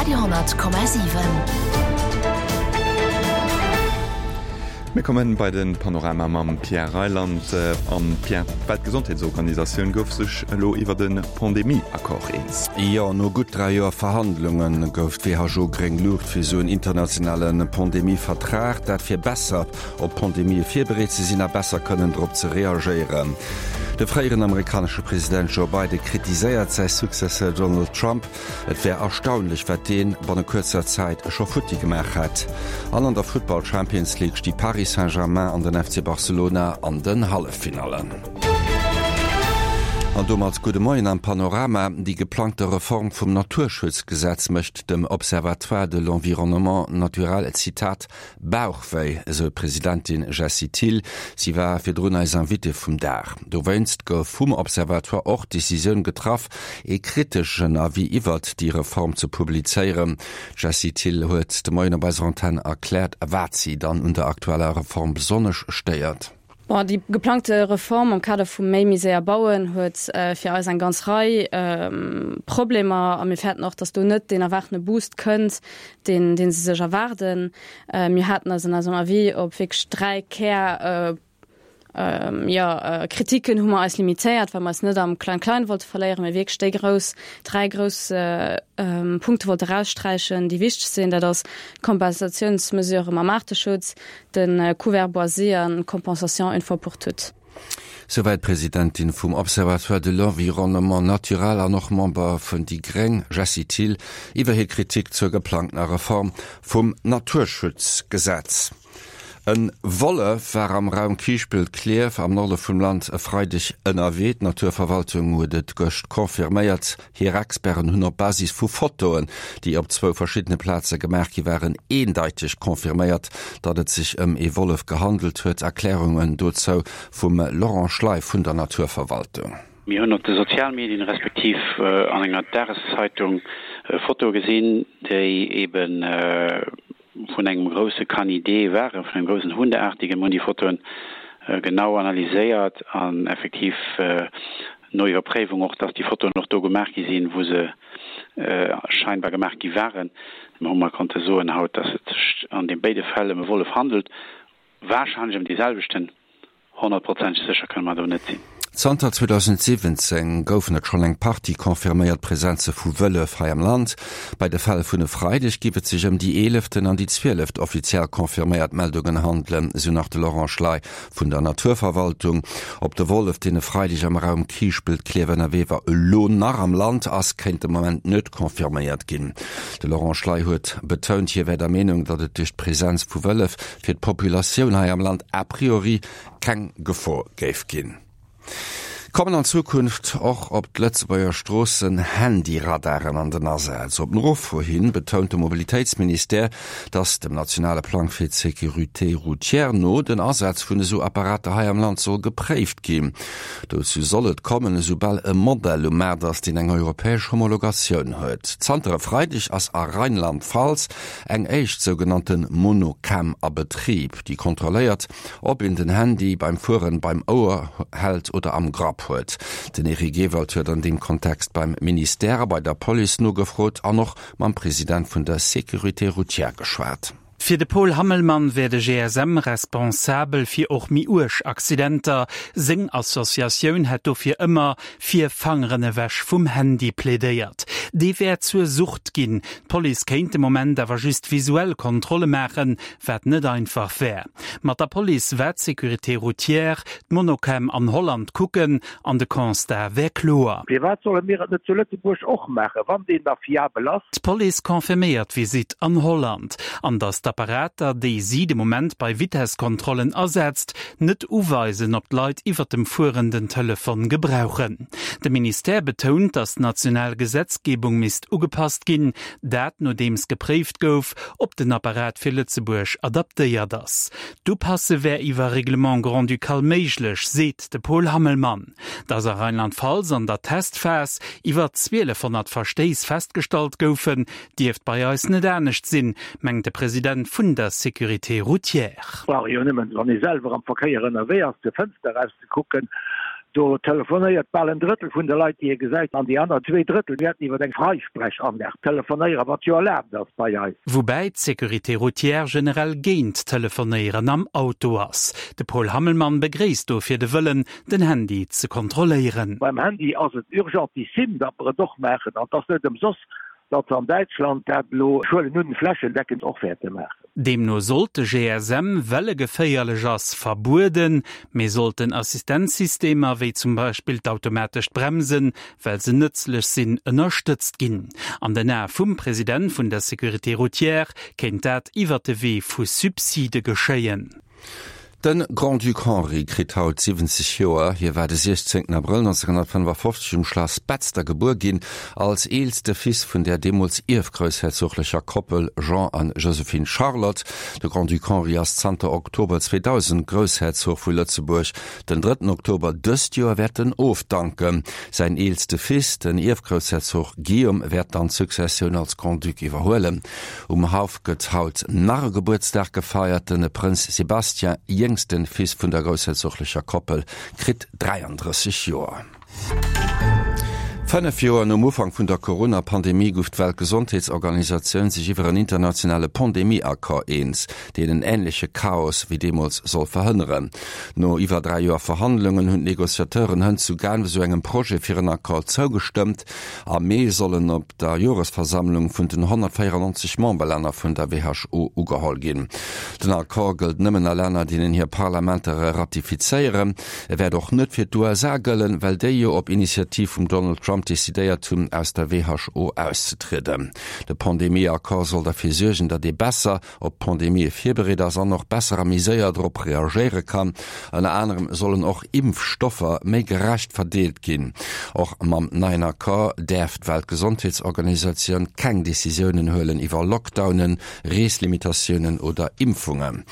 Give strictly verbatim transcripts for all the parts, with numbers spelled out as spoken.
Radio honnert Komma siwen. Mir kommen bei den Panorama mam Pierre Reyland. An Pierre, d'Weltgesondheetsorganisatioun gouf sech elo iwwer de Pandemie-Accord eens. Jo, no gutt dräi Joer Verhandlunge gouf d'WHO gréng Luucht fir esou en internationale Pandemie-Vertrag. Dat fir besser op Pandemië virbereet ze sinn a besser kënnen drop ze reagéieren. De fréieren amerikanesche President Joe Biden kritiséiert säi Successeur Donald Trump. Et wär erstaunlech, wat dee banne kuerzer Zäit scho futti gemaach hätt. An an der Futtball Champions League sti Paris Saint-Germain an den F C Barcelona an den Halleffinallen. An domat gudde Moien am Panorama. Déi geplangte Reform vum Naturschutzgesetz mécht dem Observatoire de l'environnement naturel, Zitat, Bauchwéi, esou d'Presidentin Jessie Thill. Si war virdrun eis Invitée vum Dag. Dowéinst gouf vum Observatoire och d'Decisioun getraff, ee kriteschen Avis iwwert déi Reform ze publizéieren. D'Jessie Thill huet de Moien op eiser Antenn erkläert, wat si dann un der aktueller Reform besonnesch stéiert. Bon, déi geplangte Reform am Kader vum méi méi séier bauen huet fir eis eng ganz Rei Problemer a mir fäerten och, datt do net deen erwaartene Boost kënnt, deen, deen se sech erwaarden. Mir haten eis an eisem Avis op wierklech dräi Kär, jo, Kritiken hu mer eis limitéiert, well mer eis net am Klein-Klein wollte verléieren, mee wierklech déi grouss, dräi grouss Punkte wollte eraussträichen, déi wichteg sinn. Dat ass d'Kompensatiounsmesure mam Aarteschutz, de Couvert boisé an d'Compensation une fois pour toutes. Souwäit d'Presidentin vum Observatoire de l'environnement naturel an och Member vun déi gréng, Jessie Thill, iwwer hir Kritik zur geplangtener Reform vum Naturschutzgesetz. E Wollef war am Raum Kiischpelt-Klierf am Norde vum Land e Freideg ënnerwee. D'Naturverwaltung huet et gëscht confirméiert. Hir Experten hunn op Basis vu Fotoen, déi op zwou verschiddene Plaze gemaach gi waren, eendeiteg confirméiert, datt et sech ëm ee Wollef gehandelt huet. Erklärungen dozou vum Laurent Schley vun der Naturverwaltung. Mir hunn op de Sozialmedien respektiv an enger Dageszeitung Fotoe gesinn, déi eben vun engem grousse Canidé waren, vun engem groussen Hundeartigen. Mir hunn déi Fotoen genau analyséiert an effektiv no Iwwerpréiwung och, dass déi Fotoen och do gemaach gi sinn, wou se scheinbar gemaach gi waren, hu mer konnte soen haut, dass et sech an de béide Fäll ëm e Wollef handelt, warscheinlech ëm dee selwechten. Honnertprozenteg sécher kënne mer do net sinn. Zanter zweedausendsiwwenzéng goufen et schonn eng Partie confirméiert Presenze vu Wëllef hei am Land. Bei de Fäll vun e Freideg giff et sech ëm déi eeleften an déi zwieleft offiziell confirméiert Meldungen handelen, esou nach de Laurent Schley vun der Naturverwaltung. Ob de Wollef, deen e Freideg am Raum Kiischpelt-Klierf ënnerwee war, elo nach am Land ass, kéint de Moment net confirméiert ginn. De Laurent Schley huet betount, hie wär der Meenung, datt et duerch d'Presenz vu Wëllef fir d'Populatioun hei am Land a priori keng Gefor géif ginn. Kommen an Zukunft och op d'Lëtzebuerger Stroossen Handyradaren an den Asaz? Op Nofro hin betount de Mobilitéitsministère, datt dem nationale Plang fir d'Sécurité routière no den Asaz vun esou Apparater hei am Land soll gepréift ginn. Dozou soll et kommen, esoubal e Modell um Maart ass, deen eng europäesch Homologatioun huet. Zanter e Freideg ass a Rheinland-Pfalz eng éischt sougenannte Monocam a Betrib, déi kontrolléiert, ob een den Handy beim Fueren beim Ouer hält oder am Grapp huet. Den Eric Ewald huet an deem Kontext beim Ministère a bei der Police nogefrot an och mam President vun der Sécurité routière geschwat. Fir de Paul Hammelmann wär de G S M responsabel fir och méi uerg Accidenter. Seng Associatioun hätt dofir ëmmer fir Fangeren ewech vum Handy plädéiert. Dee wär zur Sucht ginn. D'Police kéint de Moment awer just visuell Kontrolle maachen, wat net einfach wär. Mat der Police war d'Sécurité routière, d'Monocam an Holland kucken an de Constat wär kloer. Firwat solle mir et net zu Lëtzebuerg och maachen, wann deen da fiabel ass? D'Police confirméiert d'Visite an Holland an datt d'Apparater, déi si de Moment bei Vitesskontrollen asetzt, net uweisen, ob d'Leit iwwer dem Fueren den Telefon gebrauchen. De Ministère betount, datt d'national Gesetzgebung misst ugepasst ginn, dat nodeems gepréift gouf, ob den Apparat fir Lëtzebuerg adaptéiert ass. D'Upasse wär iwwer Règlement grand-ducal méiglech, seet de Paul Hammelmann. Datt a Rheinland-Pfalz an der Testphas iwwer zwielefhonnert Verstéiss festgestallt goufen, dierft bei eis net anescht sinn, mengt de President vun der Sécurité routière. Brauch jo nëmmen, wann ee selwer am Verkéier ënnerwee ass, zur Fënster rauszekucken, Do telefonéiert bal en Drëttel vun de Leit, déi ee gesäit, an déi aner zwee Drëttel wäerten iwwer eng Freisprechanlag telefonéieren, wat jo erlaabt ass bei eis. Woubäi d'Sécurité routière generell géint d'Telefonéieren am Auto ass. De Paul Hammelmann begréisst dofir de Wëllen, den Handy ze kontrolléieren. Beim Handy ass et urgentissime, datt mer et och maachen, an et ass net ëmsoss, datt se an Däitschland dat elo, ech huelen un, flächendeckend och wäerte maachen. Deemno sollt de G S M, well e geféierlech ass, verbueden, mee sollten Assistenzsystemer, wéi zum Beispill d'automatescht Bremsen, well se nëtzlech sinn, ënnerstëtzt ginn. An den Ae vum President vun der Sécurité routière kéint dat iwwert de Wee vu Subside geschéien. De Grand-Duc Henri kritt haut siwwenzeg Joer. Hie war de siechzéngten Abrëll nonzénghonnertfënnefafofzeg um Schlass Betzder gebuer ginn, als eelste Fils vun der deemools ierfgroussherzoglecher Koppel Jean an Joséphine Charlotte. De Grand-Duc Henri ass zanter Oktober zweedausend Groussherzog vu Lëtzebuerg. Den drëtten Oktober dëst Joer wäert en ofdanken. Säin eelste Fils, den Ierfgroussherzog Guillaume, wäert dann d'Successioun als Grand-Duc iwwerhuelen. Um Haff gëtt haut nach e Gebuertsdag gefeiert, De Prënz Sébastien, jéngsten Fils vun der groussherzoglecher Koppel, kritt dräiandrësseg Joer. Fënnef Joer nom Ufank vun der Corona-Pandemie gouf d'Weltgesondheetsorganisatioun sech iwwer en internationale Pandemie-Accord eens, deen en änleche Chaos wéi deemools soll verhënneren. No iwwer dräi Joer Verhandlungen hunn d'Negociateuren hënt zu Genf esou engem Projet fir en Accord zougestëmmt. Am Mee soll en op der Joresversammlung vun den honnertvéierannonzeg Memberlänner vun der W H O ugeholl ginn. Den Accord gëllt nëmmen a Länner, deenen hir Parlamenter e ratifizéieren. E wäert och net fir d'U S A gëllen, well déi jo op Initiativ vum Donald Trump decidéiert hunn, aus der W H O auszetrieden. De Pandemie-Accord soll derfir suergen, datt ee besser op Pandemië virbereet ass an och besser a méi séier drop reagéiere kann. Ënner anerem sollen och Impfstoffer méi gerecht verdeelt ginn. Och mam neien Accord däerf d'Weltgesondheetsorganisatioun keng Decisiounen huelen iwwer Lockdownen, Reeslimitatiounen oder Impfungen.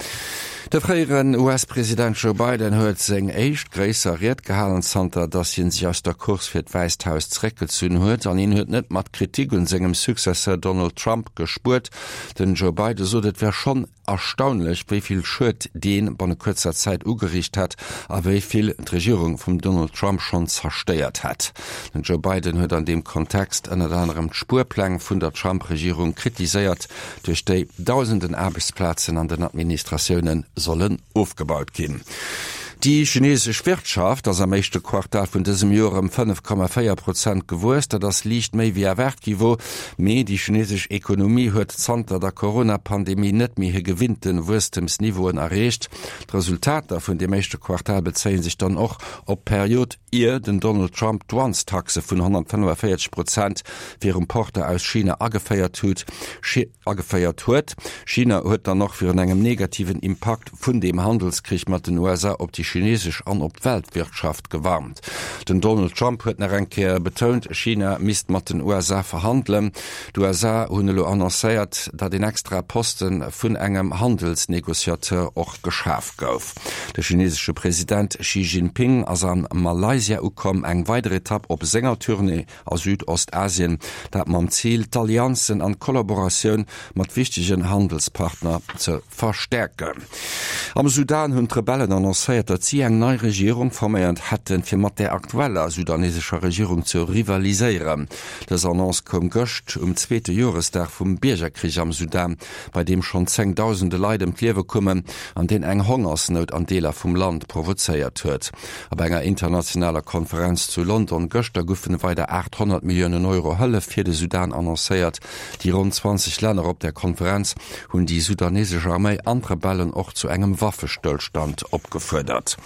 De fréieren U S-President Joe Biden huet seng éischt gréisser Ried gehalen, zanter datt hien sech aus der Course fir d'Wäisst Haus zeréckgezunn huet, an hien huet net mat Kritik un sengem Successeur Donald Trump gespuert. Den Joe Biden sot, et wär schonn erstaunlech, wéi vill Schued dee banne kuerzer Zäit ugeriicht hätt a wéi vill d'Regierung vum Donald Trump schonn zerstéiert hätt. Den Joe Biden huet an deem Kontext ënnert anerem d'Spuerpläng vun der Trump-Regierung kritiséiert, duerch déi dausenden Aarbechtsplazen an den Administratioune sollen ofgebaut ginn. Déi chinesesch Wirtschaft ass am éischte Quartal vun dësem Joer ëm fënnef Komma véier Prozent gewuess. Dat ass liicht méi wéi erwaart gi wor. Mee déi chinesesch Ekonomie huet zanter der Corona-Pandemie net méi hir gewinnte Wuesstemsniveauen erreecht. D'Resultater vun deem éischte Quartal bezéie sech dann och op d'Period, ier den Donald Trump Douanestaxe vun honnertfënnefaféierzeg Prozent fir Importer aus China ageféiert huet. Ageféiert huet. China huet dann och virun engem negativen Impakt vun dem Handelskrich mat den U S A op déi chinesesch an op d'Weltwirtschaft gewarnt. Den Donald Trump huet nach eng Kéier betount, China misst mat den U S A verhandelen. D'U S A hunn elo annoncéiert, datt een extra Poste vun engem Handelsnegociateur och geschaf gouf. De chinesesche President Xi Jinping ass a Malaysia ukomm, eng weider Etapp op senger Tournée a Südostasien, dat mam Zil, d'Allianzen an d'Kollaboratioun mat wichtegen Handelspartner ze verstäerken. Am Sudan hunn d'Rebellen annoncéiert, datt si eng nei Regierung forméiert hätten, fir mat der aktueller sudanesescher Regierung ze rivaliséieren. Dës Annonce koum gëscht um zweete Joresdag vum Biergerkrich am Sudan, bei deem schonn zéngdausende Leit ëm d'Liewe koumen an deen eng Hongersnout an Deeler vum Land provozéiert huet. Op enger internationaler Konferenz zu London gëschter goufen weider aachthonnert Milliounen Euro Hëllef fir de Sudan annoncéiert. Déi ronn zwanzeg Länner op der Konferenz hunn déi sudanesesch Arméi an d'Rebellen och zu engem Waffestëllstand opgefuerdert.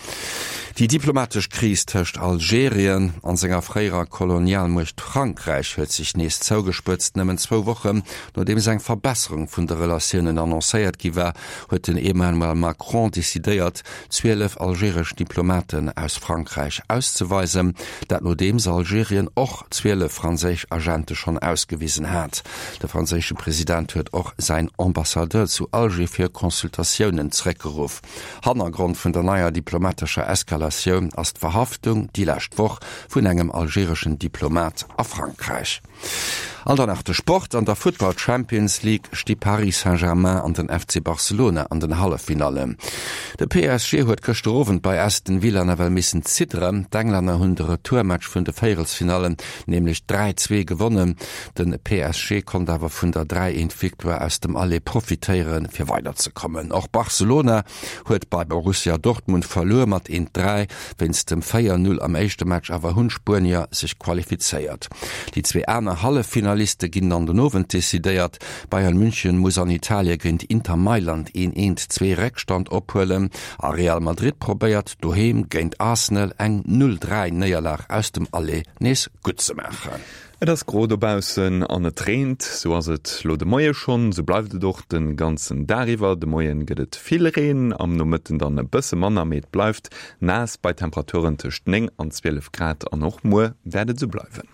Déi diplomatesch Kris tëscht Algerien an senger fréierer Kolonialmuecht Frankräich huet sech nees zougespëtzt. Nëmmen zwou Wochen nodeems eng Verbesserung vun de Relatiounen annoncéiert gi war, huet den Emmanuel Macron decidéiert, zwielef algeresch Diplomaten aus Frankräich auszeweisen. Dat nodeems Algerien och zwielef franséisch Agente schonn ausgewisen hat. De franséische President huet och säin Ambassadeur zu Alger fir Consultatiounen zeréckgeruff. Hannergrond vun der neier Diplomatie diplomatescher Eskalatioun ass d'Verhaftung déi lescht Woch vun engem algereschen Diplomat a Frankräich. An dann nach de Sport, An der Futtball Champions League sti Paris Saint-Germain an den F C Barcelona an den Halleffinallen. De P S G huet gëschter Owend bei Aston Villa nawell missen zidderen. D'Englänner hunn de Retourmatch vun de Véierelsfinallen nämlech dräi, zwee gewonnen. De P S G konnt awer vun der dräi, eent Victoire aus dem Aller profitéieren, fir weiderzekommen. Och Barcelona huet bei Borussia Dortmund verluer mat eent, dräi. Wéinst dem véier, null am éischte Match awer hunn d'Spuenier sech qualifizéiert. Déi zwee aner Halleffinaliste ginn dann den Owend decidéiert. Bayern München muss an Italie géint Inter Mailand een eent, zwee Réckstand ophuelen a Real Madrid probéiert doheem géint Arsenal eng null, dräi Néierlag aus dem Aller nees gutt ze maachen. Et ass gro dobaussen an et reent. Sou ass et lo de Moie schonn, sou bleift et och de ganzen Dag iwwer. De Moien gëtt et vill Reen, am Nomëtten dann e bësse manner, mee et bleift naass bei Temperaturen tëscht néng an zwielef Grad an och muer wäert et sou bleiwen.